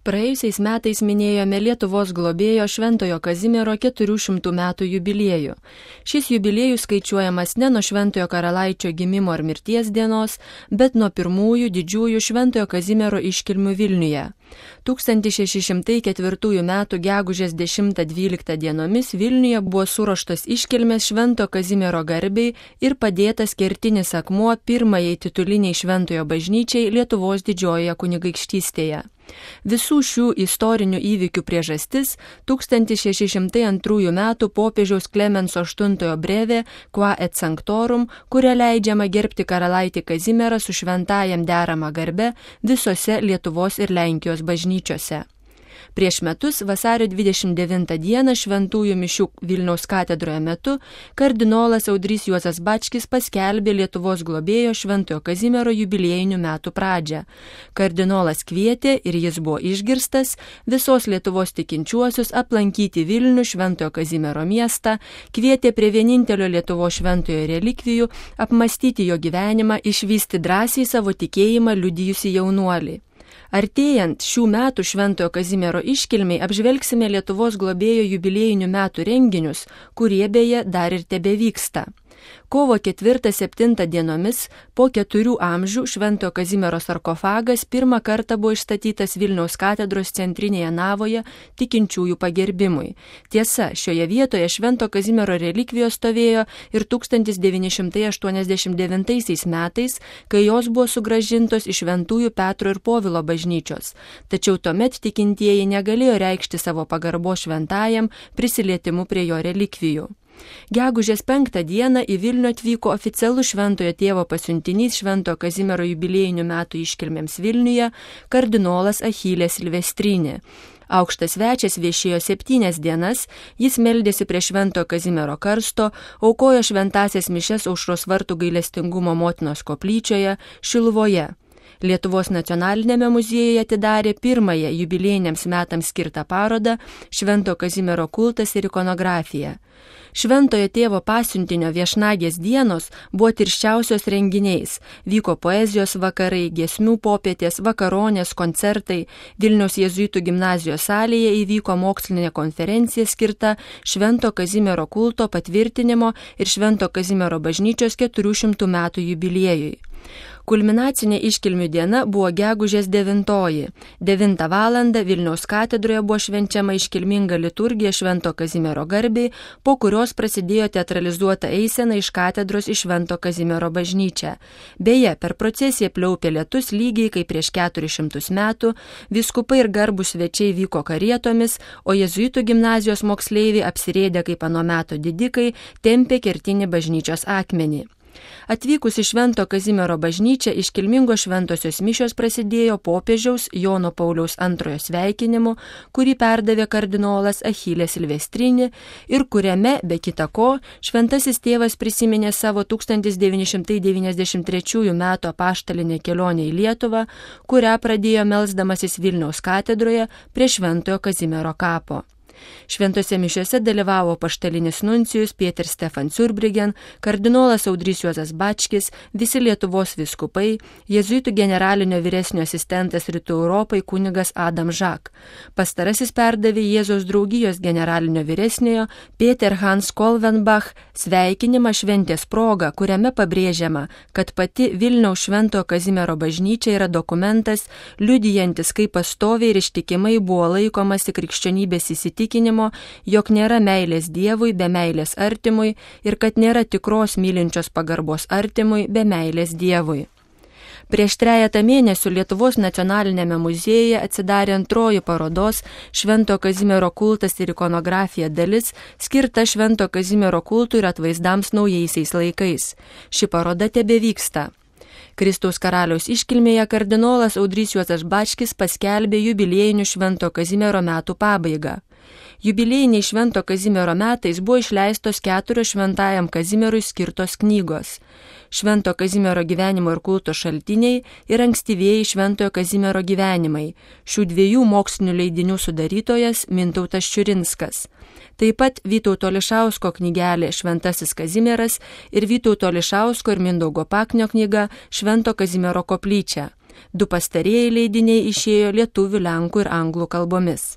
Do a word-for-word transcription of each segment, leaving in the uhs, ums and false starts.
praėjusiais metais minėjome Lietuvos globėjo Šventojo Kazimiero keturių šimtų metų jubiliejų. Šis jubiliejus skaičiuojamas ne nuo Šventojo karalaičio gimimo ar mirties dienos, bet nuo pirmųjų didžiųjų Šventojo Kazimiero iškilmių Vilniuje. tūkstantis šeši šimtai ketvirtųjų metų gegužės dešimtą dvyliktą dienomis Vilniuje buvo suruoštos iškilmės Švento Kazimiero garbei ir padėtas kertinis akmuo pirmajai tituliniai Šventojo bažnyčiai Lietuvos didžiojoje kunigaikštystėje. Visų šių istorinių įvykių priežastis tūkstantis šeši šimtai antrųjų metų popiežiaus Klemenso aštuntojo brevė Qua et Sanctorum, kuria leidžiama gerbti karalaitį Kazimierą su šventajam deramą garbę visose Lietuvos ir Lenkijos bažnyčiose. Prieš metus vasario dvidešimt devintą dieną šventųjų mišių Vilniaus katedroje metu kardinolas Audrys Juozas Bačkis paskelbė Lietuvos globėjo Šventojo Kazimiero jubiliejinių metų pradžią. Kardinolas kvietė, ir jis buvo išgirstas, visos Lietuvos tikinčiuosius aplankyti Vilnių Šventojo Kazimiero miestą, kvietė prie vienintelio Lietuvos šventojo relikvijų, apmastyti jo gyvenimą, išvysti drąsiai savo tikėjimą liudijusi jaunuolį. Artėjant šių metų Šventojo Kazimiero iškilmiai apžvelgsime Lietuvos globėjo jubiliejinių metų renginius, kurie beje dar ir tebevyksta. Kovo ketvirtą septintą dienomis po keturių amžių Šventojo Kazimiero sarkofagas pirmą kartą buvo išstatytas Vilniaus katedros centrinėje navoje tikinčiųjų pagerbimui. Tiesa, šioje vietoje Švento Kazimiero relikvijos stovėjo ir tūkstantis devyni šimtai aštuoniasdešimt devintaisiais metais, kai jos buvo sugrąžintos iš Šventųjų Petro ir Povilo bažnyčios. Tačiau tuomet tikintieji negalėjo reikšti savo pagarbos šventajam prisilietimu prie jo relikvijų. Gegužės penktą dieną į Vilnių atvyko oficialus Šventojo tėvo pasiuntinys Šventojo Kazimiero jubiliejinių metų iškilmėms Vilniuje, kardinolas Achilė Silvestrinė. Aukštas svečias viešėjo septynias dienas, jis meldėsi prie Šventojo Kazimiero karsto, aukojo šventąsias mišias Aušros vartų gailestingumo motinos koplyčioje Šiluvoje. Lietuvos nacionalinėme muziejuje atidarė pirmąją jubiliejiniams metams skirtą parodą Švento Kazimiero kultas ir ikonografija. Šventojo tėvo pasiuntinio viešnagės dienos buvo tirščiausios renginiais. Vyko poezijos vakarai, giesmių popietės, vakaronės, koncertai. Vilniaus jėzuitų gimnazijos salėje įvyko mokslinė konferencija skirta Švento Kazimiero kulto patvirtinimo ir Švento Kazimiero bažnyčios keturių šimtų metų jubiliejui. Kulminacinė iškilmių diena buvo gegužės devintoji. Devintą valandą Vilniaus katedroje buvo švenčiama iškilminga liturgija Švento Kazimiero garbei, po kurios prasidėjo teatralizuota eisena iš katedros į Švento Kazimiero bažnyčią. Beje, per procesiją pliaupė lietus lygiai kaip prieš keturis šimtus metų, vyskupai ir garbūs svečiai vyko karietomis, o jėzuitų gimnazijos moksleiviai apsirėdę kaip ano meto didikai tempė kertinį bažnyčios akmenį. Atvykus į Švento Kazimiero bažnyčią iškilmingos šventosios mišios prasidėjo popiežiaus Jono Pauliaus antrojo sveikinimu, kurį perdavė kardinolas Achilė Silvestrinė ir kuriame, be kita ko, šventasis tėvas prisiminė savo tūkstantis devyni šimtai devyniasdešimt trečiųjų metų apaštalinę kelionę į Lietuvą, kurią pradėjo melsdamasis Vilniaus katedroje prie Šventojo Kazimiero kapo. Šventose mišiose dalyvavo apaštalinis nuncijus Pieter Stefan Zurbriggen, kardinolas Audrys Juozas Bačkis, visi Lietuvos vyskupai, jėzuitų generalinio vyresnio asistentas Rytų Europai kunigas Adam Žak. Pastarasis perdavė Jėzaus draugijos generalinio vyresniojo Peter Hans Kolvenbach sveikinimą šventės proga, kuriame pabrėžiama, kad pati Vilniaus Šventojo Kazimiero bažnyčia yra dokumentas, liudijantis, kaip pastoviai ir ištikimai buvo laikomasi krikščionybės įsitikinimo, jog nėra meilės Dievui be meilės artimui ir kad nėra tikros mylinčios pagarbos artimui be meilės Dievui. Prieš trejetą mėnesių Lietuvos nacionalinėme muziejuje atsidarė antroji parodos Švento Kazimiero kultas ir ikonografija dalis, skirta Švento Kazimiero kultui ir atvaizdams naujaisiais laikais. Ši paroda tebevyksta. Kristaus karaliaus iškilmėje kardinolas Audrys Juozas Bačkis paskelbė jubiliejinių Švento Kazimiero metų pabaigą. Jubiliejiniai Švento Kazimiero metais buvo išleistos keturios Šventajam Kazimierui skirtos knygos. Švento Kazimiero gyvenimo ir kulto šaltiniai ir ankstyvieji Šventojo Kazimiero gyvenimai. Šių dviejų mokslinių leidinių sudarytojas Mintautas Čiurinskas. Taip pat Vytauto Ališausko knygelė Šventasis Kazimieras ir Vytauto Ališausko ir Mindaugo Paknio knyga Švento Kazimiero koplyčia. Du pastarieji leidiniai išėjo lietuvių, lenkų ir anglų kalbomis.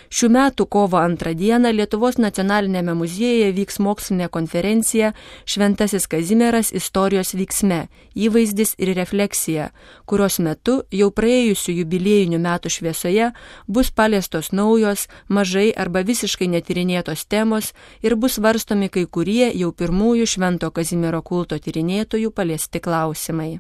Šių metų kovo antrą dieną Lietuvos nacionalinėme muziejuje vyks mokslinė konferencija Šventasis Kazimieras istorijos vyksme – įvaizdis ir refleksija, kurios metu jau praėjusių jubiliejinių metų šviesoje bus paliestos naujos, mažai arba visiškai netyrinėtos temos ir bus svarstomi kai kurie jau pirmųjų Švento Kazimiero kulto tyrinėtojų paliesti klausimai.